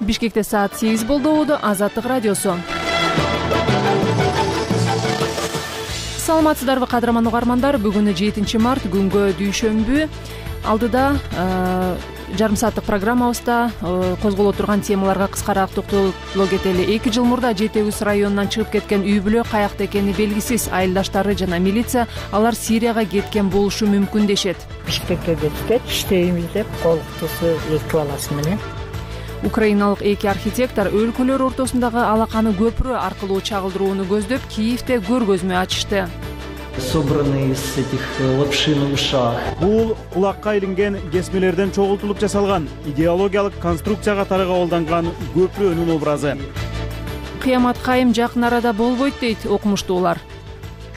Бишкекте саат 8 болду. Азаттык радиосу. Саламатсыздарбы кадырман угармандар? Бүгүн 7 март, күнгө дүйшөмбү. Алдыда жарым сааттык программабызда козголо турган темаларга кыскараак токтоло кетели. 2 жыл мурда Жети Үз районунан чыгып кеткен үй бүлө каякта экени белгисиз. Айылдаштары жана милиция алар Сирияга кеткен болушу мүмкүн дешет. Бишкекке кеткен, иштейбиз деп колуктусу 2 баласы менен. Украиналык 2 архитектор өлкөлөр ортосундагы алаканы көпүрө аркылуу чагылдырууну көздөп Киевде көргөзмө ачышты. Собраны из этих лапши на ушах. Бул кулакка илинген кесмелерден чогултулуп жасалган идеологиялык конструкция катары кабылданган көпүрөнүн образы. Кыямат кайым жакын арада болбойт дейт окумуштуулар.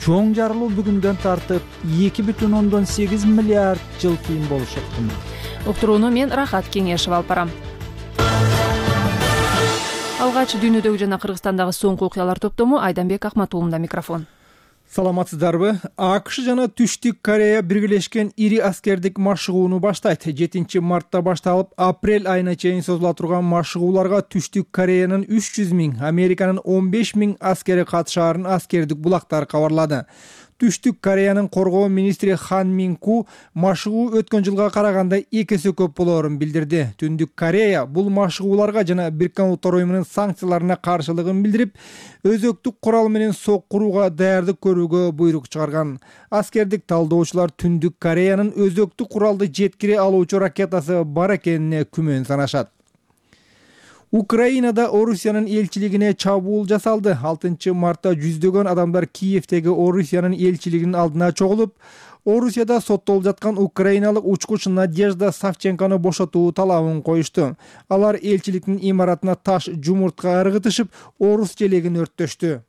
Чоң жарылуу бүгүндөн тартып 2,8 миллиард жыл кийин болушу ыктымал. Уктурууну мен Рахат Кеңешева алып барам. Алгач дүйнөдөгү жана Кыргызстандагы соңку окуялар топтому Айданбек Акматулунда микрофон. Саламатсыздарбы? АКШ жана Түштүк Корея биргелешкен ири аскердик машыгууну баштайт. 7 мартта башталып, апрель айына чейин созула турган машыгууларга Түштүк Кореянын 300 миң, Американын 15 миң аскери катышаарын аскердик булактар кабарлады. Түштүк Кореянын коргоо министри Хан Минку машыгуу өткөн жылга караганда 2 эсе көп болоорун билдирди. Түндүк Корея бул машыгууларга жана Бириккен Улуттар уюмунун санкцияларына каршылыгын билдирип, өзөктүк курал менен сок курууга даярдык көрүүгө буйрук чыгарган. Аскердик талдоочулар Түндүк Кореянын өзөктүк куралды жеткире алуучу ракетасы бар экенине күмөн санашат. Украинада Орусиянын элчилигине чабуул жасалды. 6 мартта жүздөгөн адамдар Киевдеги Орусиянын элчилигинин алдына чогулуп, Орусияда соттолуп жаткан украиналык учкуч Надежда Савченкону бошотуу талабын коюшту. Алар элчиликтин имаратына таш жумуртка ыргытышып, орус желегин өрттөштү.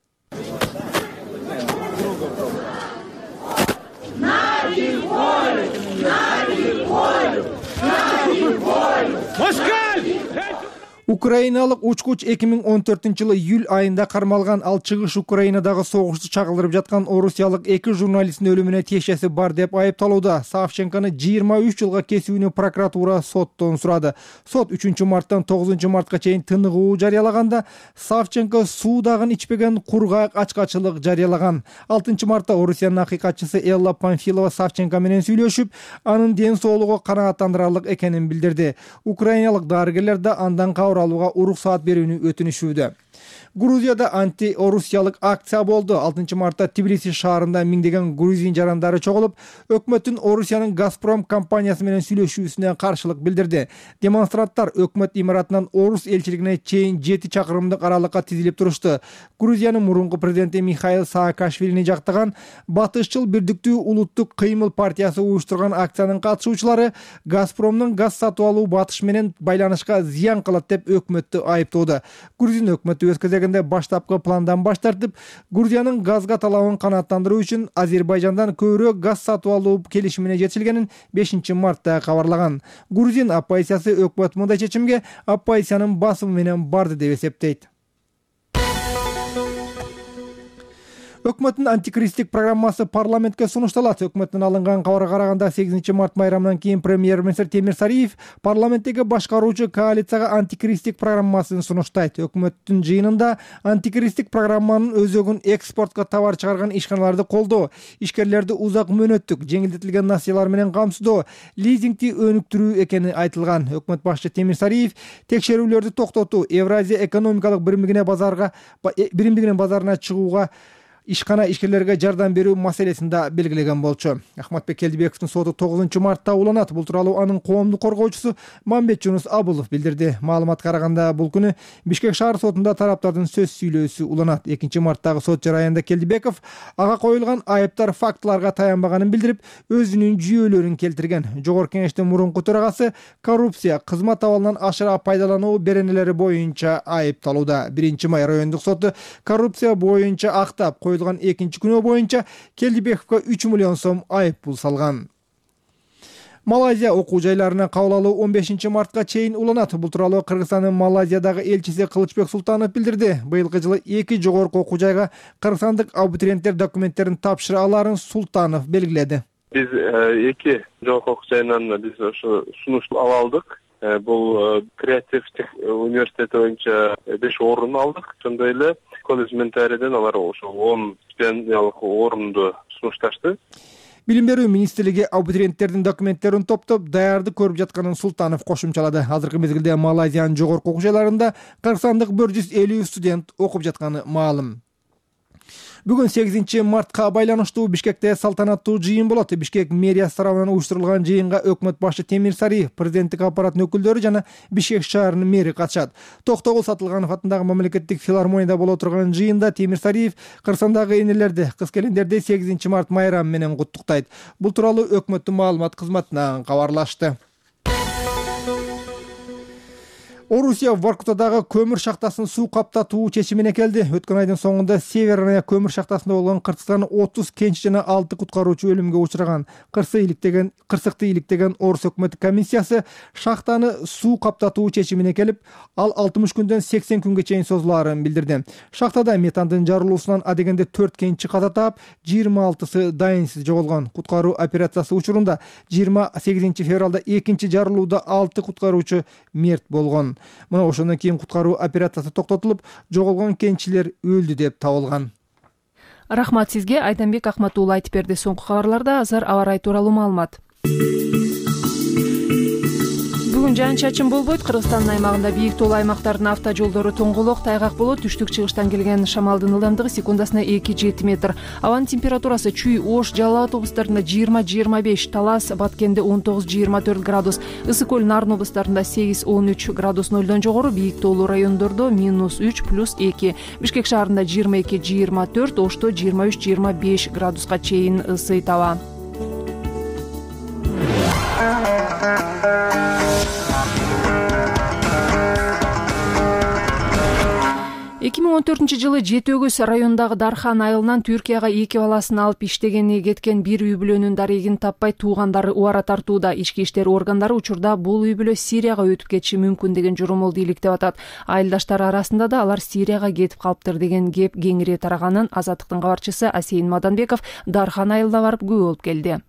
Украиналык учкуч 2014-жылы июль айында кармалган. Ал чыгыш Украинадагы согушту чагылдырып жаткан орусиялык 2 журналисттин өлүмүнө тиешеси бар деп айыпталууда. Савченкону 23 жылга кесүүнү прокуратура соттон сурады. Сот 3 марттан 9 мартка чейин тыныгуу жарыялаганда, Савченко суудагын ичпеген кургак ачкачылык жарыялаган. 6 мартта Орусиянын акыйкатчысы Элла Памфилова Савченко менен сүйлөшүп, анын ден соолугу канааттандырарлык экенин билдирди. Украиналык дарыгерлер да андан алууга уруксаат берүүнү өтүнүшүүдө. Грузияда анти-орусиялык акция болду. 6 мартта Тбилиси шаарында миңдеген грузин жарандары чогулуп, өкмөттүн Орусиянын Газпром компаниясы менен сүйлөшүүсүнө каршылык билдирди. Демонстранттар өкмөт имаратынан орус элчилигине чейин 7 чакырымдык аралыкка тизилип турушту. Грузиянын мурунку президенти Михаил Саакашвилини жактаган Батышчыл Бирдиктүү улуттук кыймыл партиясы уюштурган акциянын катышуучулары Газпромдун газ сатып алуу батыш менен байланышка зыян кылат деп өкмөттү айыптоодо. Грузин өкмөтү өз кезегинде баштапкы пландан баш тартып, Грузиянын газга талабын канааттандыруу үчүн Азербайжандан көбүрөөк газ сатып алуу келишимине жетишилгенин 5 мартта кабарлаган. Грузин оппозициясы өкмөт мындай чечимге оппозициянын басымы менен барды деп эсептейт. Өкмөттүн антикризистик программасы парламентке сунушталат. Өкмөттүн алынган кабарга караганда 8 март майрамынан кийин премьер-министр Темир Сариев парламенттеги башкаруучу коалицияга антикризистик программасын сунуштайт. Өкмөттүн жыйынында антикризистик программанын өзөгүн экспортко товар чыгарган ишканаларды колдоо, ишкерлерди узак мөөнөттүк жеңилдетилген насыялар менен камсыздоо, лизингти өнүктүрүү экени айтылган. Өкмөт башчы Темир Сариев текшерүүлөрдү токтотуу, Евразия экономикалык биримдигинин базарына чыгууга ишкана ишкерлерге жардам берүү маселесин да белгилеген болчу. Ахматбек Келдибековдун соту 9 мартта уланат. Бул тууралуу анын коомдук коргоочусу Мамбет Жунус Абулов билдирди. Маалыматка караганда бул күнү Бишкек шаар сотунда тараптардын сөз сүйлөөсү уланат. 2 марттагы сот жараянда Келдибеков ага коюлган айыптар фактыларга таянбаганын билдирип, өзүнүн жүйөлөрүн келтирген. Жогорку кеңештин мурунку төрагасы коррупция, кызмат абалынан ашыра пайдалануу беренелери боюнча айыпталууда. 1 май райондук соту коррупция боюнча актап коюлган 2 күнөө боюнча Келдибековго 3 миллион сом айып пул салган. Малайзия окуу жайларына кабыл алуу 15 мартка чейин уланат. Бул тууралуу Кыргызстандын Малайзиядагы элчиси Кылычбек Султанов билдирди. Быйылкы жылы 2 жогорку окуу жайга кыргызстандык абитуриенттер документтерин тапшыра аларын Султанов белгиледи. Биз 2 жогорку окуу жайынан биз ошо сунуш ала алдык. бул креативдик университети боюнча 5 орун алдык. Ошондой эле колледж ментариден алар ошо 10 стипендиялык орунду сунушташты. Билим берүү министрлиги абитуриенттердин документтерин топтоп даярдык көрүп жатканын Султанов кошумчалады. Азыркы мезгилде Малайзиянын жогорку окуу жайларында Кыргызстандык 150 студент окуп жатканы маалым. Бүгүн 8 мартка байланыштуу Бишкекте салтанаттуу жыйын болот. Бишкек мэриясы тарабынан уюштурулган жыйынга өкмөт башы Темир Сариев, президенттик аппараттын өкүлдөрү жана Бишкек шаарынын мэри катышат. Токтогул Сатылганов атындагы мамлекеттик филармонияда боло турган жыйында Темир Сариев Кыргызстандагы энелерди, кыз-келиндерди 8 март майрамы менен куттуктайт. Бул тууралуу өкмөттүн маалымат кызматынан кабарлашты. Орусия Воркутадагы көмүр шахтасын суу каптатуу чечимине келди. Өткөн айдын соңунда Северная көмүр шахтасында болгон Кыргызстан 30 кенч жана 6 куткаруучу өлүмгө учураган. Кырсыкты иликтеген Орус өкмөт комиссиясы шахтаны суу каптатуу чечимине келип, ал 60 күндөн 80 күнгө чейин созулаарын билдирди. Шахтада метандын жарылуусунан адегенде 4 кенчи каза таап, 26сы дайынсыз жоголгон. Куткаруу операциясы учурунда 28 февралда экинчи жарылууда 6 куткаруучу мерт болгон. Мына ошондон кийин куткаруу операциясы токтотулуп, жоголгон кенчилер өлдү деп табылган. Рахмат сизге. Айданбек Акмат уулу айтып берди. Соңку кабарларда азыр аба ырайы тууралуу маалымат. Бүгүн жаан-чачын болбойт. Кыргызстандын аймагында бийик тоолуу аймактардын автожолдору тоңголок, тайгак болот. Түштүк-чыгыштан келген шамалдын ылдамдыгы секундасына 2-7 метр. Абанын температурасы Чүй, Ош, Жалал Абад облустарында 20-25, Талас, Баткенде 19-24 градус, Ысык көл, Нарын облустарында 8-13 градус нөлдөн жогору, бийик тоолуу райондордо -3 +2, Бишкек шаарында 22-24, Ошто 23-25 градуска чейин ысыйт аба. 2014-жылы Жети Өгүз районундагы Дархан айылынан Түркияга 2 баласын алып иштегени кеткен бир үй бүлөнүн дарегин таппай туугандары убара тартууда. Ички иштер органдары учурда бул үй бүлө Сирияга өтүп кетиши мүмкүн деген журумулду иликтеп атат. Айылдаштары арасында да алар Сирияга кетип калыптыр деген кеп кеңири тараганын Азаттыктын кабарчысы Асейин Маданбеков Дархан айылына барып күбө болуп келди.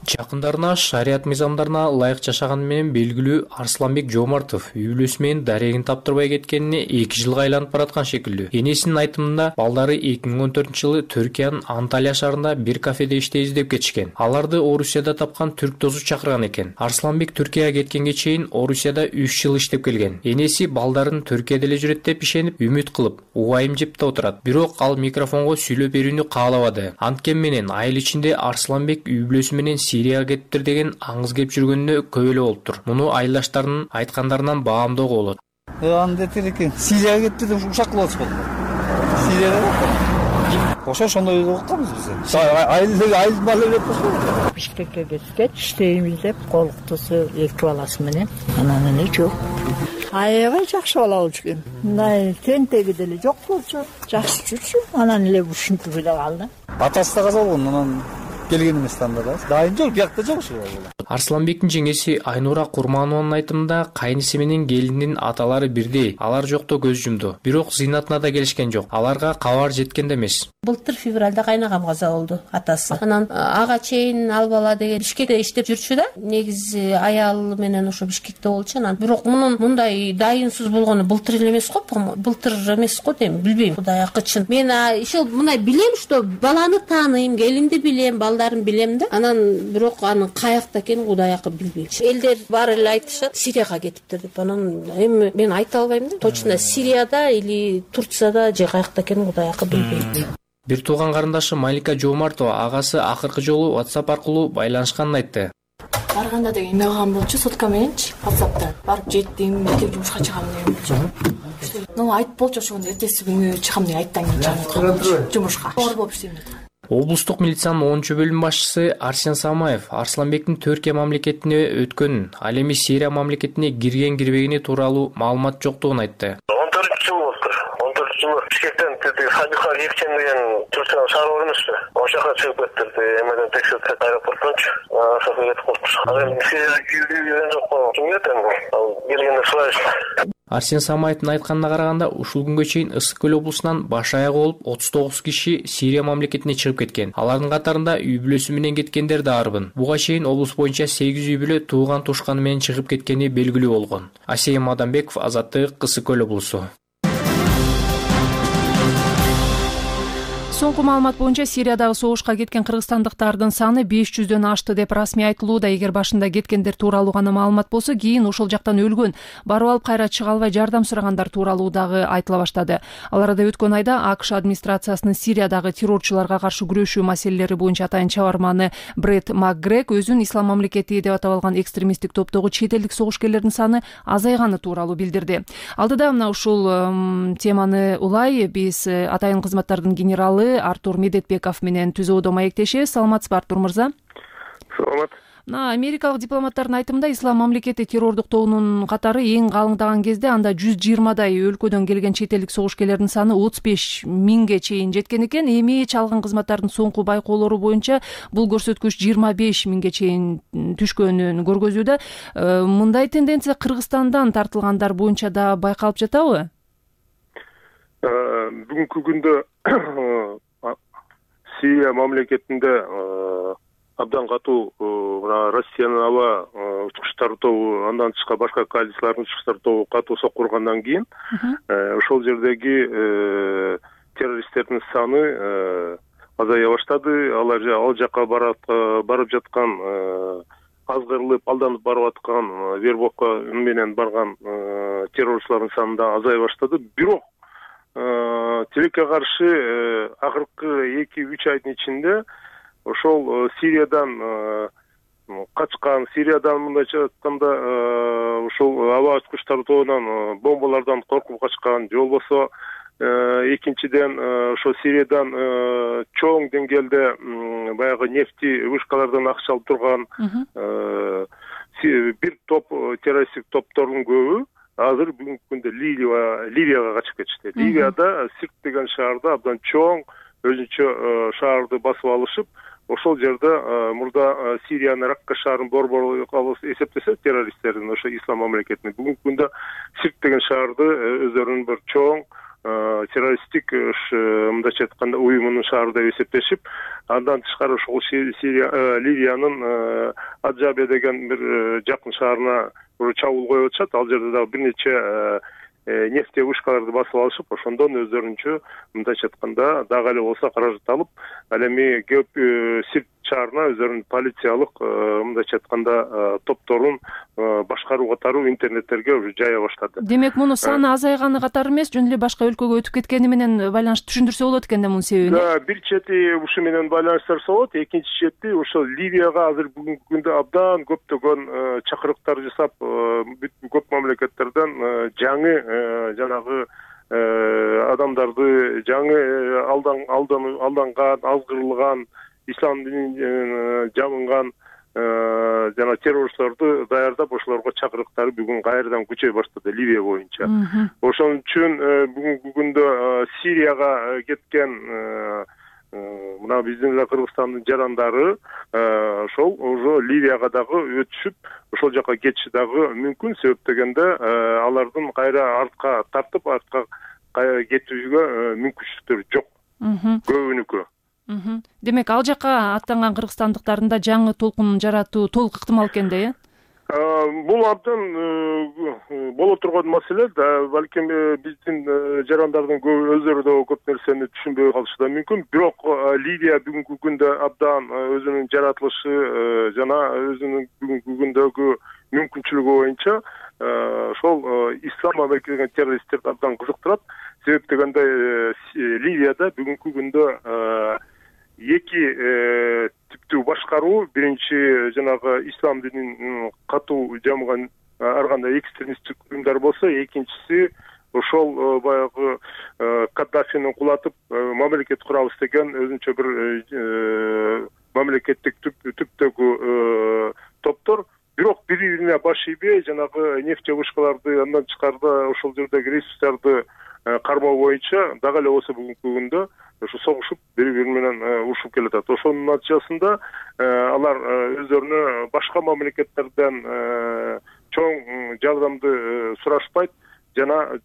Жакындарына шарият мыйзамдарына ылайык жашаганы менен белгилүү Арсланбек Жомартов үй бүлөсү менен дарегин таптырбай кеткенине 2 жылга айланып бараткан шекилдүү. Энесинин айтымында балдары 2014-жылы Түркиянын Анталия шаарында бир кафеде иштейбиз деп кетишкен. Аларды Орусияда тапкан түрк досу чакырган экен. Арсланбек Түркияга кеткенге чейин Орусияда 3 жыл иштеп келген. Энеси балдарын Түркияда эле жүрөт деп ишенип, үмүт кылып, убайым жеп да отурат. Бирок ал микрофонго сүйлөп берүүнү каалабады. Анткени менен айыл ичинде Арсланбек үй бүлөсү менен Сирияга кетиптир деген аңыз кеп жүргөнүнө көп эле болуптур. Муну айылдаштарынын айткандарынан баамдоого болот. Анда экен Сирияга кетти деп ушак кылып атышпады. Сирияга ошондой окутканбыз биз. Айыл бала деп кошту. Бишкекке кеткеч иштейбиз деп колуктусу 2 баласы менен анан эле жок. Аябай жакшы бала болчу экен. Мындай тентеги деле жок болчу. Жакшы жүрчү. Анан эле ушинтип эле калды. Атасы да каза болгон, анан келген эмес анда да. Дайын жок, биякта жок ушул. Арсланбектин жеңеси Айнура Курманованын айтымында кайниси менен келиндин аталары бирдей. Алар жокто көз жумду. Бирок зыйнатына да келишкен жок. Аларга кабар жеткен да эмес. Былтыр февралда кайнагам каза болду атасы. Анан ага чейин ал бала деген Бишкекте иштеп жүрчү да. Негизи аялы менен ошо Бишкекте болчу. Анан бирок мунун мындай дайынсыз болгону былтыр эле эмес го, былтыр эмес го дейм, билбейм. Кудай акычын. Мен ошол мындай билем, что баланы тааныйм, келинди билем, балдарын билем да. Анан бирок анын каякта экенин Кудай акы билбейм. Элдер баары эле айтышат, Сирияга кетиптир деп. Анан эми мен айта албайм да. Точно Сирияда или Турцияда же каякта экенин Кудай акы билбейм. Бир тууган карындашы Малика Жомартова агасы акыркы жолу WhatsApp аркылуу байланышканын айтты. Барганда деген эме кылган болчу, сотка мененчи WhatsApp'та. Барып жеттим, эртең жумушка чыгам деген болчу. Ну айтып болчу ошондо эртеси күнү чыгам деген айттан кийин жумушка. Оор болуп иштейм деп. Облустук милициянын 10-чу бөлүм башчысы Арсен Самаев Арсланбектин Түркия мамлекетине өткөнүн, ал эми Сирия мамлекетине кирген-кирбегени тууралуу маалымат жоктугун айтты. 14-жыл болуптур. 14-жыл Бишкектен Садиха Епчен деген Түркиянын шаары бар эмеспи? Ошол жака чыгып кетти. Эмеден текшертип аэропорттончу. Ошого кетип калыптыр. Ал эми Сирияга кирген жок. Ким кетти? Ал келгенде сұрайбыз. Арсен Самаевдин айтканына караганда, ушул күнгө чейин Ысык көл облусунан баш аягы болуп 39 киши Сирия мамлекетине чыгып кеткен. Алардын катарында үй бүлөсү менен кеткендер да арбын. Буга чейин облус боюнча 8 үй бүлө тууган тушканы менен чыгып кеткени белгилүү болгон. Асия Мадамбеков, Азаттык, Ысык көл облусу. Соңку маалымат боюнча Сириядагы согушка кеткен кыргызстандыктардын саны 500дөн ашты деп расмий айтылууда. Эгер башында кеткендер тууралуу гана маалымат болсо, кийин ошол жактан өлгөн, барып алып кайра чыга албай жардам сурагандар тууралуу дагы айтыла баштады. Ал арада өткөн айда АКШ администрациясынын Сириядагы террорчуларга каршы күрөшүү маселелери боюнча атайын чабарманы Брэд МакГрег өзүн Ислам мамлекети деп аталган экстремисттик топтогу чет элдик согушкерлердин саны азайганы тууралуу билдирди. Алдыда мына ушул теманы улай биз атайын кызматтардын генералы Артур Медетбеков менен түзүүдө маектешебиз. Саламатсызбы, Артур мырза? Саламат. Америкалык дипломаттардын айтымында Ислам мамлекети террордук тобунун катары эң калыңдаган кезде анда 120дай өлкөдөн келген чет элдик согушкерлердин саны 35 миңге чейин жеткен экен. Эми чалган кызматтардын соңку байкоолору боюнча бул көрсөткүч 25 миңге чейин түшкөнүн көргөзүүдө. Мындай тенденция Кыргызстандан тартылгандар боюнча да байкалып жатабы? Бүгүнкү күндө Сирия мамлекетинде абдан катуу Россиянын аба учкучтар тобу, андан тышкары башка коалициялардын учкучтар тобу катуу соккургандан кийин ошол жердеги террористтердин саны азая баштады. Алар ал жака барып жаткан, азгырылып, алданып барып аткан, вербовка менен барган террорчулардын саны да азая баштады. Бирок тилекке каршы акыркы 2-3 айдын ичинде ошол Сириядан качкан, Сириядан мындайча айтканда ошол аба учкучтар тобунан бомбалардан коркуп качкан, же болбосо экинчиден ошо Сириядан чоң деңгээлде баягы нефти вышкалардан акча алып турган бир топ террористтик топтордун көбү азыр бүгүнкү күндө Ливияга качып кетишти. Ливияда Сирт деген шаарда абдан чоң өзүнчө шаарды басып алышып, ошол жерде мурда Сириянын Ракка шаарын борбор кылып эсептесе террористтердин, ошо Ислам мамлекетинин бүгүнкү күндө Сирт деген шаарды өздөрүнүн бир чоң террористтик мындайча айтканда уюмунун шаары деп эсептешип, андан тышкары ошол Ливиянын Аджабе деген бир жакын шаарына чабуул коюп атышат. Ал жерде дагы бир нече нефти вышкаларды басып алышып, ошондон өздөрүнчө мындайча айтканда дагы эле болсо каражат алып, ал эми Сирт шаарына өздөрүнүн полициялык мындайча айтканда топторун башкаруу катары интернеттерге уже жая баштады. Демек, муну саны азайганы катары эмес, жөн эле башка өлкөгө өтүп кеткени менен байланыштуу түшүндүрсө болот экен да мунун себебин. Да, бир чети ушу менен байланыштырса болот, экинчи чети ошол Ливияга азыр бүгүнкү күндө абдан көптөгөн чакырыктар жасап, көп мамлекеттерден жаңы жанагы адамдарды, жаңы алданган, азгырылган, ислам динин жабынган жана террорчуларды даярдап, ошолорго чакырыктары бүгүн кайрадан күчөй баштады Ливия боюнча. Ошон үчүн бүгүнкү күндө Сирияга кеткен мына биздин эле Кыргызстандын жарандары ошол уже Ливияга дагы өтүшүп, ошол жака кетиши дагы мүмкүн. Себеп дегенде алардын кайра артка тартып, артка кетүүгө мүмкүнчүлүктөрү жок. Көбүнүкү. Демек, ал жака аттанган кыргызстандыктардын да жаңы толкун жаратуу толук ыктымал экен да, Бул абдан боло турган маселе да, балким биздин жарандардын көбү өздөрү да көп нерсени түшүнбөй калышы да мүмкүн. Бирок Ливия бүгүнкү күндө абдан өзүнүн жаратылышы жана өзүнүн бүгүнкү күндөгү мүмкүнчүлүгү боюнча ошол ислам мамлекетин террористтерди абдан кызыктырат. Себеп дегенде Ливияда бүгүнкү күндө эки типтүү башкаруу, биринчи жанагы ислам динин катуу жамган ар кандай экстремисттик уюмдар болсо, экинчиси ошол баягы Каддафини кулатып мамлекет курабыз деген өзүнчө бир мамлекеттик түптөгү топтор. Бирок бири-бирине баш ийбей, жанагы нефть вышкаларды, андан тышкары ошол жердеги ресурстарды кармоо боюнча дагы эле болсо бүгүнкү күндө ошо согушуп, бири-бири менен урушуп келатат. Ошонун натыйжасында алар өздөрүнө башка мамлекеттерден чоң жардамды сурашпайт, жана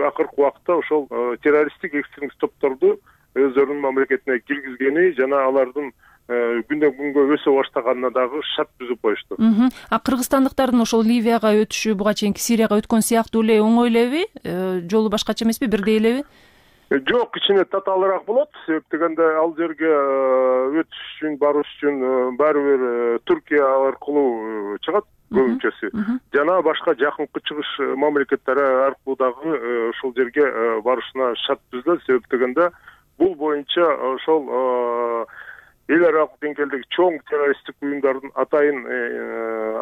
акыркы убакта ошол террористтик экстремист топторду өздөрүнүн мамлекетине киргизгени жана алардын күндөн күнгө өсө баштаганына дагы шарт түзүп коюшту. А кыргызстандыктардын ошол Ливияга өтүшү буга чейинки Сирияга өткөн сыяктуу эле оңой элеби? Жолу башкача эмеспи, бирдей элеби? Жок, кичине татаалыраак болот. Себеп дегенде ал жерге өтүш үчүн, барыш үчүн баары бир Түркия аркылуу чыгат көбүнчөсү. Жана башка жакынкы чыгыш мамлекеттери аркылуу дагы ошол жерге барышына шарт түзүлөт. Себеп дегенде бул боюнча ошол эл аралык деңгээлдеги чоң террористтик уюмдардын атайын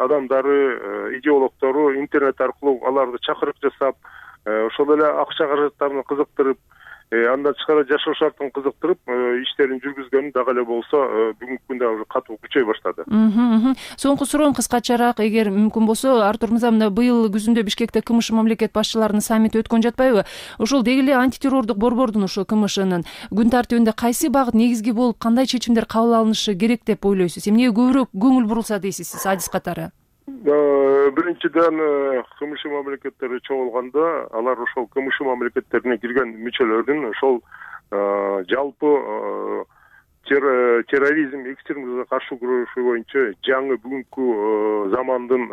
адамдары, идеологдору интернет аркылуу аларды чакырык жасап, ошол эле акча каражаттарын кызыктырып, андан тышкары жашоо шартын кызыктырып иштерин жүргүзгөнү дагы эле болсо бүгүнкү күндө уже катуу күчөй баштады. Соңку суроом кыскачараак, эгер мүмкүн болсо, Артур мырза, мына быйыл күзүндө Бишкекте КМШ мамлекет башчыларынын саммити өткөн жатпайбы? Ошол деги эле антитеррордук борбордун, ошо КМШнын күн тартибинде кайсы багыт негизги болуп, кандай чечимдер кабыл алынышы керек деп ойлойсуз? Эмнеге көбүрөөк көңүл бурулса дейсиз сиз адис катары? Биринчиден КМШ мамлекеттери чогулганда алар ошол КМШ мамлекеттерине кирген мүчөлөрдүн ошол жалпы терроризм, экстремизмге каршы күрөшүү боюнча жаңы бүгүнкү замандын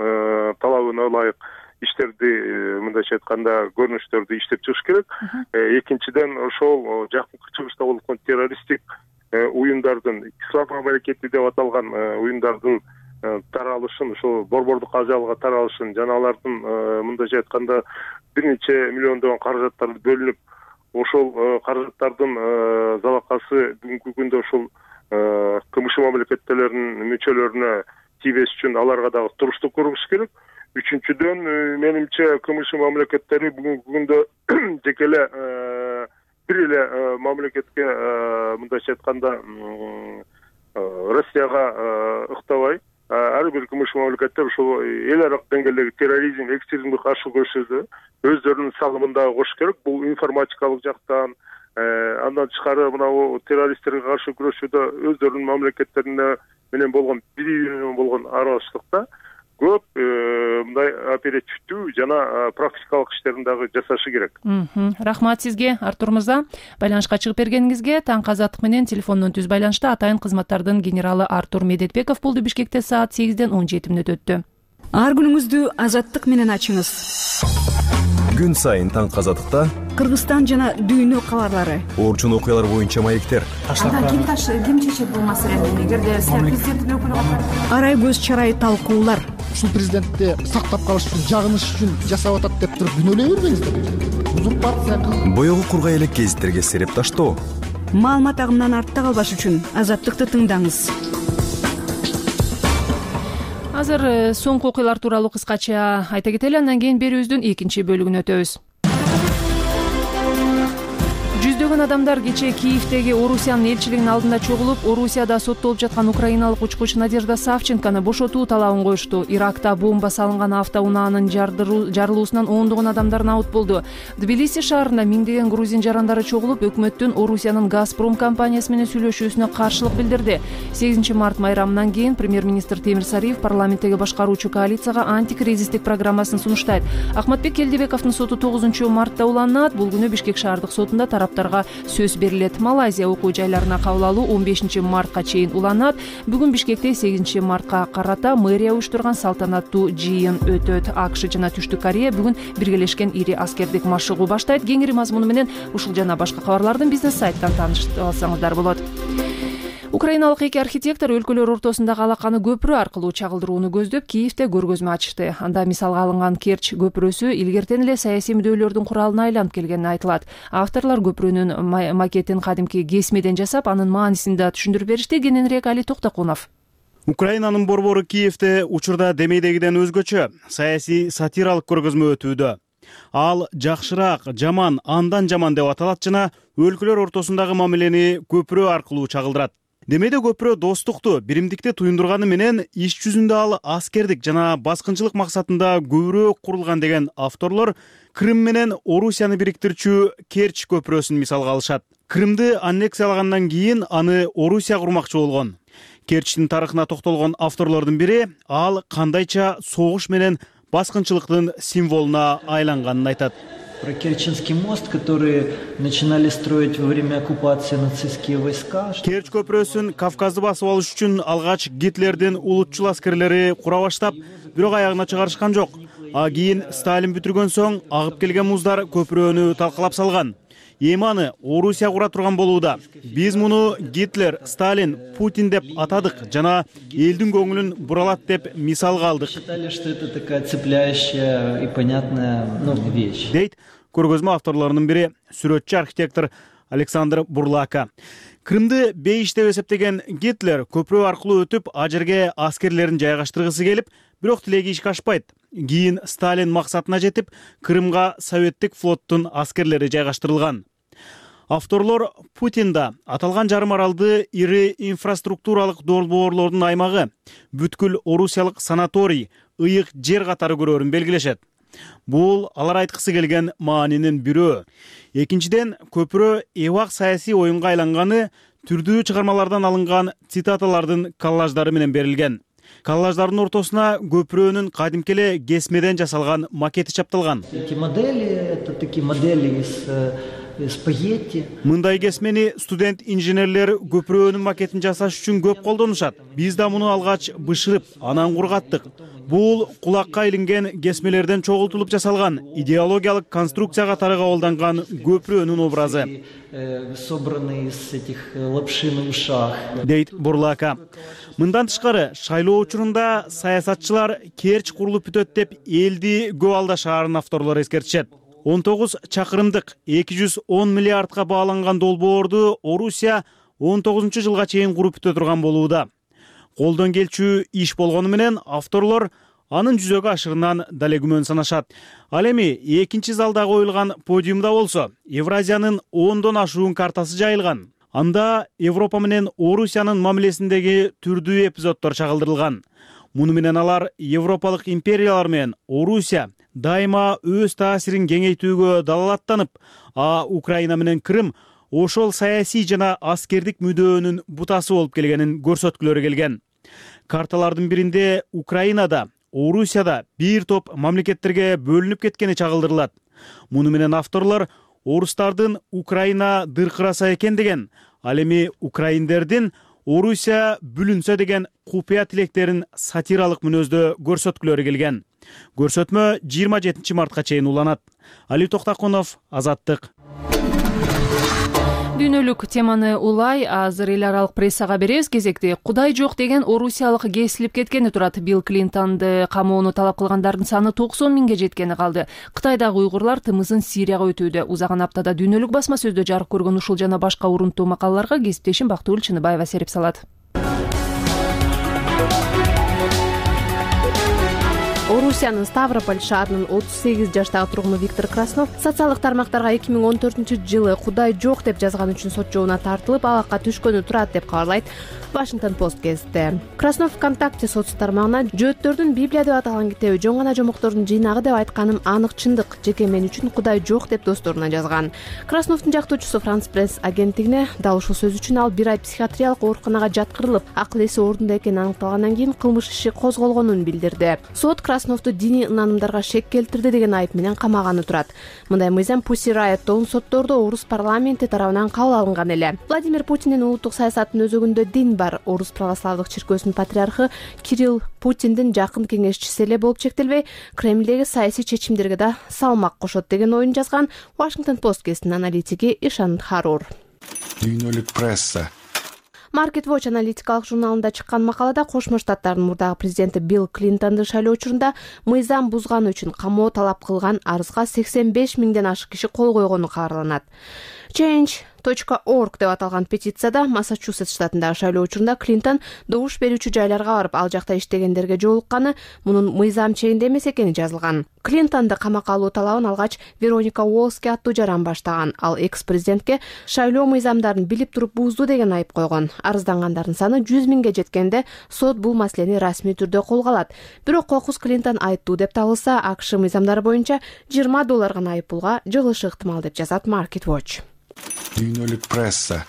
талабына ылайык иштерди, мындайча айтканда, көрүнүштөрдү иштеп чыгыш керек. Экинчиден ошол жакынкы чыгышта болуп аткан террористтик уюмдардын, ислам мамлекети деп аталган уюмдардын таралышын, ошол борбордук ажалга таралышын жана алардын мындайча айтканда бир нече миллиондогон каражаттар бөлүнүп, ошол каражаттардын залакасы бүгүнкү күндө ошол КМШ мамлекеттеринин мүчөлөрүнө тийбеш үчүн аларга дагы туруштук көрүш керек. Үчүнчүдөн, менимче КМШ мамлекеттери бүгүнкү күндө жеке эле бир эле мамлекетке, мындайча айтканда, Россияга ыктабай, ар бир КМШ мамлекеттер ошол эл аралык деңгээлдеги терроризм, экстремизмге каршы күрөшүүдө өздөрүнүн салымын дагы кошуш керек. Бул информатикалык жактан, андан тышкары мына террористтерге каршы күрөшүүдө өздөрүнүн мамлекеттерине менен болгон бири-бири болгон аралаштыкта көп мындай оперативдүү жана практикалык иштерин дагы жасашы керек. Рахмат сизге, Артур мырза. Байланышка чыгып бергениңизге. Таңкы азаттык менен телефондон түз байланышта атайын кызматтардын генералы Артур Медетбеков болду. Бишкекте саат 8:17 өттү. Ар күнүңүздү азаттык менен ачыңыз. Күн сайын таңкы азаттыкта Кыргызстан жана дүйнө кабарлары, орчун окуялар боюнча маектер. Ким чечет бул маселени? Эгерде президенттин өкүлү арай көз чарай талкуулар. Ушул президентти сактап калыш үчүн, жагыныш үчүн жасап атат деп туруп күнөөлөй бербеңиздер. Узурпация. Боёгу кургай элек гезиттерге сереп таштоо. Маалымат агымынан артта калбаш үчүн азаттыкты тыңдаңыз. Азыр соңку окуялар тууралуу кыскача айта кетели, андан кийин берүүбүздүн экинчи бөлүгүнө өтөбүз. Жүздөгөн адамдар кечээ Киевдеги Орусиянын элчилигинин алдында чогулуп, Орусияда соттолуп жаткан украиналык учкуч Надежда Савченкону бошотуу талабын коюшту. Иракта бомба салынган автоунаанын жарылуусунан ондогон адамдар набыт болду. Тбилиси шаарында миңдеген грузин жарандары чогулуп, өкмөттүн Орусиянын Газпром компаниясы менен сүйлөшүүсүнө каршылык билдирди. 8 март майрамынан кийин премьер-министр Темир Сариев парламенттеги башкаруучу коалицияга антикризистик программасын сунуштайт. Ахматбек Келдибековдун соту 9 мартта уланат. Бул күнү Бишкек шаардык сотунда тараптарга сөз берилет. Малайзия окуу жайларына кабыл алуу 15 мартка чейин уланат. Бүгүн Бишкекте 8 мартка карата мэрия уюштурган салтанаттуу жыйын өтөт. АКШ жана Түштүк Корея бүгүн биргелешкен ири аскердик машыгуу баштайт. Кеңири мазмуну менен ушул жана башка кабарлардын бизнес сайттан таанышып алсаңыздар болот. Украиналык эки архитектор өлкөлөр ортосундагы алаканы көпүрө аркылуу чагылдырууну көздөп Киевде көргөзмө ачышты. Анда мисалга алынган Керч көпүрөсү илгертен эле саясий мүдөлөрдүн куралына айланып келгени айтылат. Авторлор көпүрөнүн макетин кадимки кесмеден жасап, анын маанисин да түшүндүрүп беришти. Кененирээк Али Токтокунов. Украинанын борбору Киевде учурда демейдегиден өзгөчө саясий сатиралык көргөзмө өтүүдө. Ал жакшыраак, жаман, андан жаман деп аталат жана өлкөлөр ортосундагы мамилени көпүрө аркылуу чагылдырат. Демейде көпүрө достукту, биримдикти туюндурганы менен иш жүзүндө ал аскердик жана баскынчылык максатында көбүрөөк курулган деген авторлор Крым менен Орусияны бириктирчү Керч көпүрөсүн мисалга алышат. Крымды аннексиялагандан кийин аны Орусия курмакчы болгон. Керчтин тарыхына токтолгон авторлордун бири ал кандайча согуш менен баскынчылыктын символуна айланганын айтат. Про Керченский мост, который начинали строить во время оккупации нацистские войска. Керч көпүрөсүн Кавказды басып алыш үчүн алгач Гитлердин улутчул аскерлери кура баштап, бирок аягына чыгарышкан жок. Кийин Сталин бүтүргөн соң агып келген муздар көпүрөнү талкалап салган. Эми аны Орусия кура турган болууда. Биз муну Гитлер, Сталин, Путин деп атадык жана элдин көңүлүн буралат деп мисалга алдык. Считали, что это такая цепляющая и понятная вещь. Дейт көргөзмө авторлорунун бири сүрөтчү архитектор Александр Бурлака. Крымды бейиш деп эсептеген Гитлер көпүрө аркылуу өтүп, а жерге аскерлерин жайгаштыргысы келип, бирок тилеги ишке ашпайт. Кийин Сталин максатына жетип, Крымга советтик флоттун аскерлери жайгаштырылган. Авторлор Путинда аталган жарым аралды ири инфраструктуралык долбоорлордун аймагы, бүткүл орусиялык санаторий, ыйык жер катары көрөрүн белгилешет. Бул алар айткысы келген маанинин бирөө. Экинчиден, көпүрө эбак саясий оюнга айланганы түрдүү чыгармалардан алынган цитаталардын коллаждары менен берилген. Коллаждардын ортосуна көпүрөнүн кадимки эле кесмеден жасалган макети чапталган. Эти модели, это такие модели из спагетти. Мындай кесмени студент-инженерлер көпүрөнүн макетин жасаш үчүн көп колдонушат. Биз да муну алгач бышырып, анан кургаттык. Бул кулакка илинген кесмелерден чогултулуп жасалган идеологиялык конструкция катары кабылданган көпүрөнүн образы. Собраны из этих лапши на ушах. Дейт Бурлака. Мындан тышкары шайлоо учурунда саясатчылар Керч курулуп бүтөт деп элди көп алдашаарын авторлор эскертишет. 19 чакырымдык 210 миллиардка бааланган долбоорду Орусия 19-жылга чейин куруп бүтө турган болууда. Колдон келчү иш болгону менен авторлор анын жүзөгө ашырынан дале күмөн санашат. Ал эми экинчи залда коюлган подиумда болсо Евразиянын 10дон ашуун картасы жайылган. Анда Европа менен Орусиянын мамилесиндеги түрдүү эпизоддор чагылдырылган. Муну менен алар европалык империялар менен Орусия дайыма өз таасирин кеңейтүүгө далалаттанып, Украина менен Крым ошол саясий жана аскердик мүдөөнүн бутасы болуп келгенин көрсөткүлөрү келген. Карталардын биринде Украинада, Орусияда бир топ мамлекеттерге бөлүнүп кеткени чагылдырылат. Муну менен авторлор орустардын Украина дыркыраса экен деген, ал эми украиндердин Орусия бүлүнсө деген купуя тилектерин сатиралык мүнөздө көрсөткүлөрү келген. Көрсөтмө 27 мартка чейин уланат. Али Токтакунов, Азаттык. Дүйнөлүк теманы улай азыр эл аралык прессага беребиз. Кезекте Кудай жок деген орусиялык кесилип кеткени турат. Билл Клинтонду камоону талап кылгандардын саны 90 миңге жеткени калды. Кытайдагы уйгурлар тымызын Сирияга өтүүдө. Узаган аптада дүйнөлүк басма сөздө жарык көргөн ушул жана башка урунттуу макалаларга кесиптешим Бактыгүл Чыныбаева серип салат. Орусиянын Ставрополь шаарынын 38 жаштагы тургуну Виктор Краснов социалдык тармактарга 2014-жылы Кудай жок деп жазган үчүн сот жообуна тартылып, абакка түшкөнү турат деп кабарлайт Washington Post гезити. Краснов ВКонтакте соцсу тармагына Жөөттөрдүн Библия деп аталган китеби жон гана жомоктордун жыйнагы деп айтканым анык чындык. Жеке мен үчүн Кудай жок деп досторуна жазган. Красновдун жактоочусу Франс Пресс агенттигине дал ушул сөз үчүн ал 1 ай психиатриялык ооруканага жаткырылып, акыл эси ордунда экени аныкталгандан кийин кылмыш иши козголгонун билдирди. Сот Красновду диний ынанымдарга шек келтирди деген айып менен камаганы турат. Мындай мыйзам Pussy Riot соттордо орус парламенти тарабынан кабыл алынган эле. Владимир Путиндин улуттук саясатынын өзөгүндө дин бар. Орус православдык чиркөөсүнүн патриархы Кирилл Путиндин жакын кеңешчиси эле болуп чектелбей, Кремлдеги саясий чечимдерге да салмак кошот деген оюн жазган Washington Post гезитинин аналитиги Ишан Харур. Дүйнөлүк пресса. Market Watch аналитикалык журналында чыккан макалада Кошмо Штаттардын мурдагы президенти Билл Клинтонду шайлоо учурунда мыйзам бузганы үчүн камоо талап кылган арызга 85 миңден ашык киши кол койгону кабарланат. Change.org деп аталган петицияда Массачусетс штатындагы шайлоо учурунда Клинтон добуш берүүчү жайларга барып, ал жакта иштегендерге жолукканы, мунун мыйзам чегинде эмес экени жазылган. Клинтонду камакка алуу талабын алгач Вероника Уолски аттуу жаран баштаган. Ал экс-президентке шайлоо мыйзамдарын билип туруп бузду деген айып койгон. Арыздангандардын саны 100 миңге жеткенде сот бул маселени расмий түрдө колго алат. Бирок кокус Клинтон айыптуу деп табылса, АКШ мыйзамдары боюнча $20 гана айыппулга жыгылышы ыктымал деп жазат Market Watch. Дүйнөлүк пресса.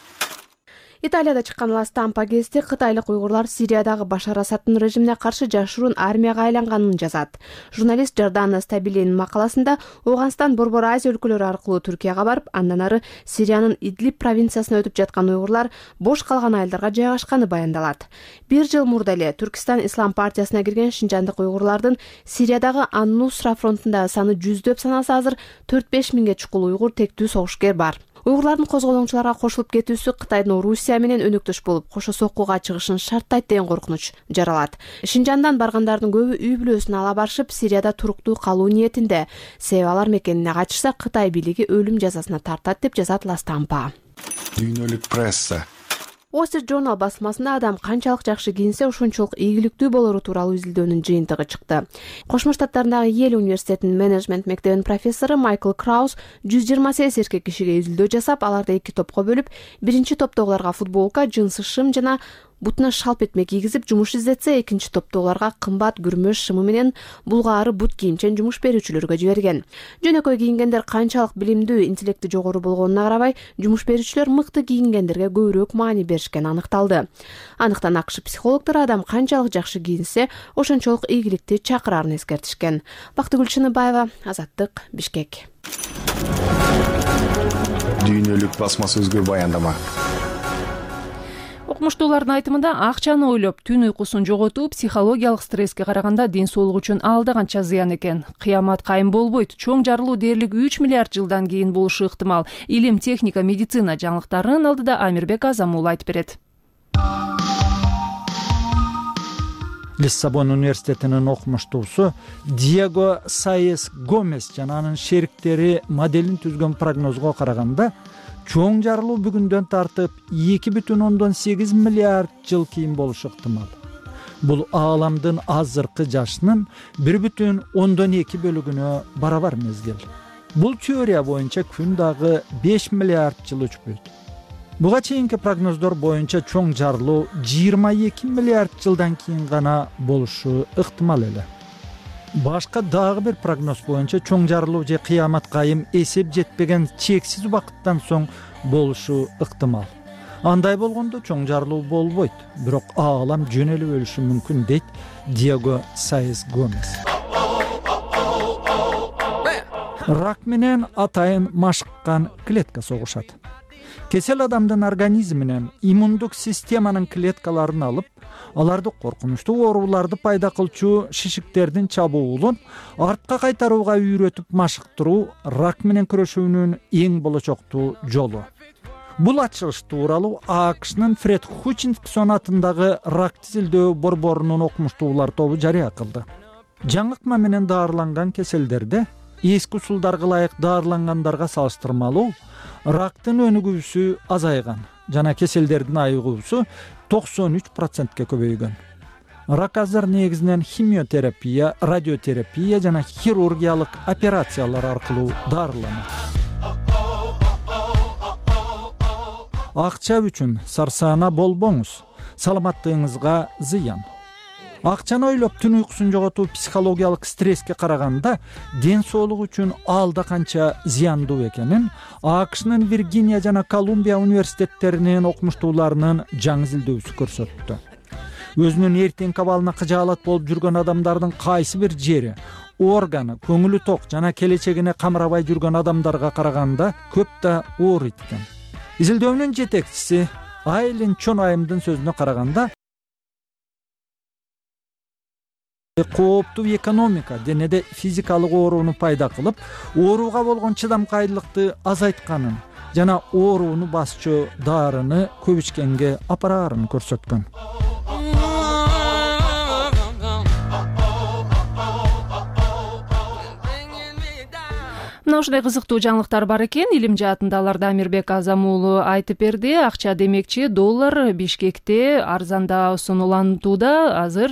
Италияда чыккан Ла Стампа гезити кытайлык уйгурлар Сириядагы Башар Асаддын режимине каршы жашыруун армияга айланганын жазат. Журналист Жордана Стабилинин макаласында Ооганстан, Борбор Азия өлкөлөрү аркылуу Түркияга барып, андан ары Сириянын Идлиб провинциясына өтүп жаткан уйгурлар бош калган айылдарга жайгашканы баяндалат. 1 жыл мурда эле Түркистан Ислам партиясына кирген шинжандык уйгурлардын Сириядагы Ан-Нусра фронтундагы саны жүздөп саналса, азыр 4-5 миңге чукул уйгур тектүү согушкер бар. Уйгурлардын козголоңчуларга кошулуп кетүүсү Кытайдын Орусия менен өнөктөш болуп, кошо соккуга чыгышын шарттайт деген коркунуч жаралат. Шинжандан баргандардын көбү үй бүлөсүн ала барышып, Сирияда туруктуу калуу ниетинде. Себеби алар мекенине качышса, Кытай бийлиги өлүм жазасына тартат деп жазат Ла Стампа. Дүйнөлүк пресса. Wall Street Journal басмасында адам канчалык жакшы кийинсе, ошончолук ийгиликтүү болору тууралуу изилдөөнүн жыйынтыгы чыкты. Кошмо Штаттардагы Йель университетинин менеджмент мектебинин профессору Майкл Краус 128 эркек кишиге изилдөө жасап, аларды 2 топко бөлүп, биринчи топтогуларга футболка, жынсы шым жана бутуна шалп этме кийгизип жумуш издетсе, экинчи топтогуларга кымбат күрмөш шымы менен булгаары бут кийимчен жумуш берүүчүлөргө жиберген. Жөнөкөй кийингендер канчалык билимдүү, интеллекти жогору болгонуна карабай, жумуш берүүчүлөр мыкты кийингендерге көбүрөөк маани беришкени аныкталды. Аныктан АКШ психологдору адам канчалык жакшы кийинсе, ошончолук ийгиликти чакырарын эскертишкен. Бактыгүл Чыныбаева, Азаттык, Бишкек. Дүйнөлүк басма сөзгө баяндама. Окумуштуулардын айтымында, акчаны ойлоп түн уйкусун жоготуу психологиялык стресске караганда ден соолук үчүн алда канча зыян экен. Кыямат кайым болбойт. Чоң жарылуу дээрлик 3 миллиард жылдан кийин болушу ыктымал. Илим, техника, медицина жаңылыктарынын алдыда Амирбек Азамул айтып берет. Лиссабон университетинин окумуштуусу Диего Саес Гомес жана анын шериктери моделин түзгөн прогнозго караганда, чоң жарылуу бүгүндөн тартып 2,8 миллиард жыл кийин болушу ыктымал. Бул ааламдын азыркы жашынын 1,2 бөлүгүнө барабар мезгил. Бул теория боюнча күн дагы 5 миллиард жыл өчпөйт. Буга чейинки прогноздор боюнча чоң жарылуу 22 миллиард жылдан кийин гана болушу ыктымал эле. Башка дагы бир прогноз боюнча чоң жарылуу же кыямат кайым эсеп жетпеген чексиз убакыттан соң болушу ыктымал. Андай болгондо чоң жарылуу болбойт, бирок аалам жөн эле өлүшү мүмкүн, дейт Диего Саес Гомес. Рак менен атайын машыккан клетка согушат. Кесел адамдын организминен иммундук системанын клеткаларын алып, аларды коркунучтуу ооруларды пайда кылчу шишиктердин чабуулун артка кайтарууга үйрөтүп машыктыруу рак менен күрөшүүнүн эң болочоктуу жолу. Бул ачылыш тууралуу АКШнын Фред Хутчинсон атындагы рак тизилдөө борборунун окумуштуулар тобу жарыя кылды. Жаңыкма менен даарыланган кеселдерде эски усулдарга ылайык даарылангандарга салыштырмалуу рактын өнүгүүсү азайган жана кеселдердин айыгуусу 93%ке көбөйгөн. Рак азыр негизинен химиотерапия, радиотерапия жана хирургиялык операциялар аркылуу дарыланат. Акча үчүн сарсаана болбоңуз, саламаттыгыңызга зыян. Акчаны ойлоп түн уйкусун жоготуу психологиялык стресске караганда ден соолук үчүн алда канча зыяндуу экенин АКШнын Виргиния жана Колумбия университеттеринин окумуштууларынын жаңы изилдөөсү көрсөттү. Өзүнүн эртеңки абалына кыжаалат болуп жүргөн адамдардын кайсы бир жери, органы, көңүлү ток жана келечегине камырабай жүргөн адамдарга караганда көп да оор экен. Изилдөөнүн жетекчиси Айлин Чонайымдын сөзүнө караганда, кооптуу экономика денеде физикалык ооруну пайда кылып, ооруга болгон чыдамкайлыкты азайтканын жана ооруну басчу дарыны көп ичкенге апарарын көрсөткөн. Мына ушундай кызыктуу жаңылыктар бар экен. Илим жаатында аларды Амирбек Азамулу айтып берди. Акча демекчи доллар Бишкекте арзанда сонолантууда. Азыр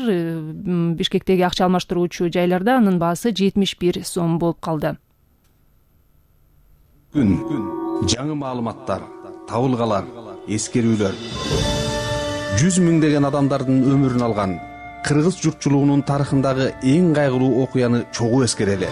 Бишкектеги акча алмаштыруучу жайларда анын баасы 71 сом болуп калды. Күн, жаңы маалыматтар, табылгалар, эскерүүлөр. 100 миңдеген адамдардын өмүрүн алган кыргыз журтчулугунун тарыхындагы эң кайгылуу окуяны чогуу эскерели.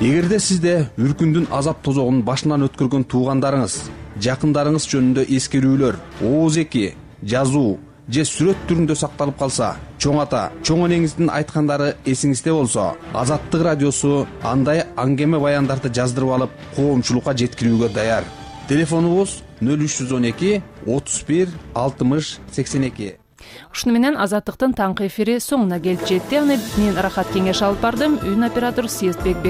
Эгерде сизде үркүндүн азап тозогун башынан өткөргөн туугандарыңыз жакындарыңыз жөнүндө эскерүүлөр ооз-эки, жазуу же сүрөт түрүндө сакталып калса, чоң ата, чоң энеңиздин айткандары эсиңизде болсо, Азаттык радиосу андай аңгеме баяндарды жаздырып алып, коомчулукка жеткирүүгө даяр. Телефонубуз 0312 31 60 82. Ушуну менен Азаттыктын таңкы эфири соңуна келип жетти. Аны мен Рахат Кеңеш алып бардым. Үн оператор Съездбек